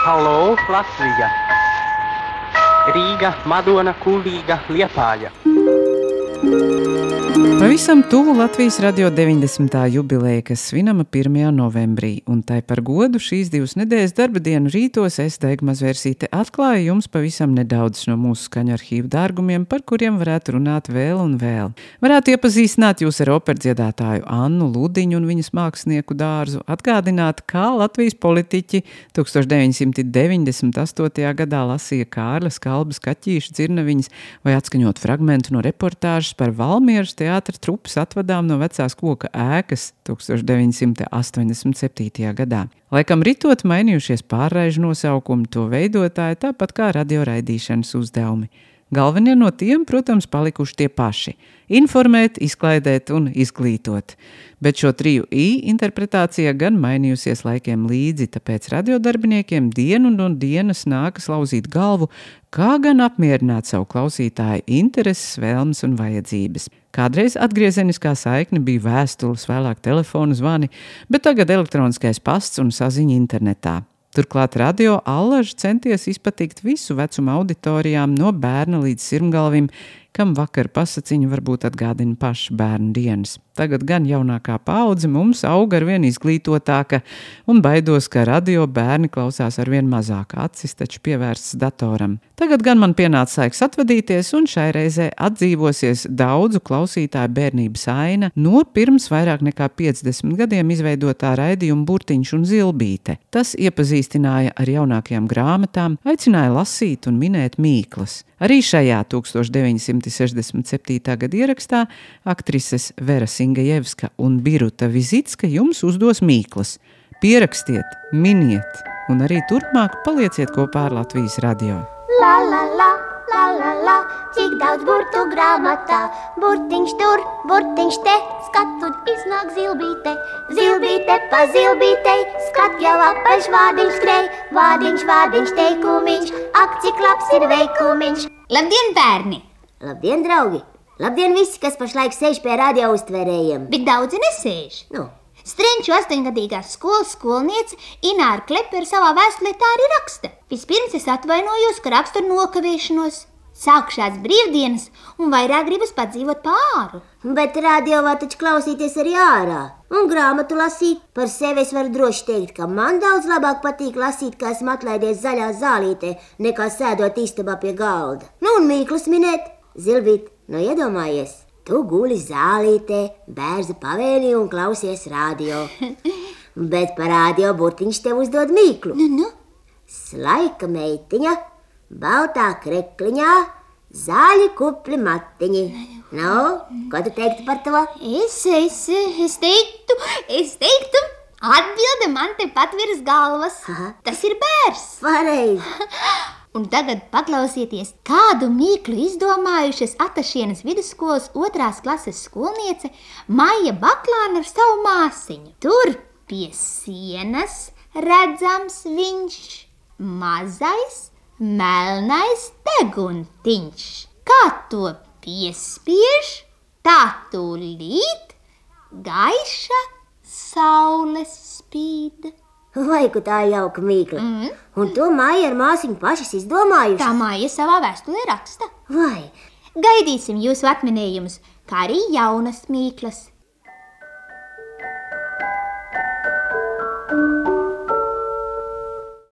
Halo, Latvija! Rīga, Madona, Kuldīga, Liepāja. Pavisam tuvu Latvijas radio 90. jubileja, kas svinama 1. novembrī, un tai par godu šīs 2 nedēļas darba dienu rītos es, Daiga Mazvērsīte, atklāju jums pavisam nedaudz no mūsu skaņu arhīvu dārgumiem, par kuriem varētu runāt vēl un vēl. Varētu iepazīstināt jūs ar operdziedātāju Annu Ludiņu un viņas mākslinieku dārzu, atgādināt, kā Latvijas politiķi 1998. gadā lasīja Kārļa Skalbas Kaķīša dzirnaviņas vai atskaņot fragmentu no reportāžas par Valmieras teātra trupas atvadām no vecās koka ēkas 1987. gadā. Laikam ritot mainījušies pārraižu nosaukumi, to veidotāji, tāpat kā radioraidīšanas uzdevumi. Galvenie no tiem, protams, palikuši tie paši – informēt, izklaidēt un izglītot. Bet šo 3 I interpretācija gan mainījusies laikiem līdzi, tāpēc radiodarbiniekiem dienu no dienas nākas lauzīt galvu, kā gan apmierināt savu klausītāju intereses, vēlmes un vajadzības. Kādreiz atgriezeniskā saikne bija vēstules, vēlāk telefonu zvani, bet tagad elektroniskais pasts un saziņa internetā. Turklāt radio allaž centies izpatikt visu vecumu auditorijām no bērna līdz sirmgalvim, kam vakar pasaciņu varbūt atgādina paši bērnu dienas. Tagad gan jaunākā paudze mums aug arvien izglītotāka un baidos, ka radio bērni klausās arvien mazāk, acis taču pievērsts datoram. Tagad gan man pienāca laiks atvadīties un šai reizē atdzīvosies daudzu klausītāju bērnības aina no pirms vairāk nekā 50 gadiem izveidotā raidījuma Burtiņš un Zilbīte. Tas iepazīstināja ar jaunākajām grāmatām, aicināja lasīt un minēt mīklas. Arī šajā 1967. gada ierakstā aktrises Vera Singejevska un Biruta Vizitska jums uzdos mīklas. Pierakstiet, miniet un arī turpmāk palieciet kopā ar Latvijas radio. La la la, la la la, cik daudz burtu grāmatā, burtiņš tur, burtiņš te, skatu iznāk zilbīte, zilbīte pa zilbītei, skat jau apaļš vārdiņš skrej, vārdiņš, vārdiņš teikumiņš, ak cik labs ir veikumiņš. Labdien, bērni! Labdien, draugi! Labdien visi, kas pašlaik sēž pie radio uztvērējiem. Bet daudzi nesēž. Strenču 8-gadīgā skolas skolniece Ināra Klepera savā vēstulē tā arī raksta. Vispirms es atvainojos, ka rakstu ar nokavēšanos. Sākušās brīvdienas un vairāk gribas padzīvot pāru. Bet radio var taču klausīties arī ārā un grāmatu lasīt. Par sevi es varu droši teikt, ka man daudz labāk patīk lasīt, kā esmu atlaidies zaļā zālītē, nekā sēdot istabā pie galda. Un mīklas minēt. Zilbīt, iedomājies, tu guli zālītē, bērza pavēlī un klausies radio. Bet par radio Burtiņš tev uzdod mīklu. Slaika meitiņa, baltā krekliņā, zaļi kupli matiņi. Ko tu teiktu par to? Es teiktu, atbilde man tepat virs galvas. Tas ir bērs. Pareizi. Un tagad paklausieties, kādu mīklu izdomājušas Atašienas vidusskolas 2. klases skolniece Maija Baklāna ar savu māsiņu. Tur pie sienas redzams viņš mazais, melnais deguntiņš. Kā to piespiež, tā tūlīt gaiša saules spīd. Vai, ka tā jauka mīkla. Un to Maija ar māsiņu pašas izdomājuši? Tā Maija savā vēstulē raksta. Vai? Gaidīsim jūsu atminējumus, kā arī jaunas mīklas.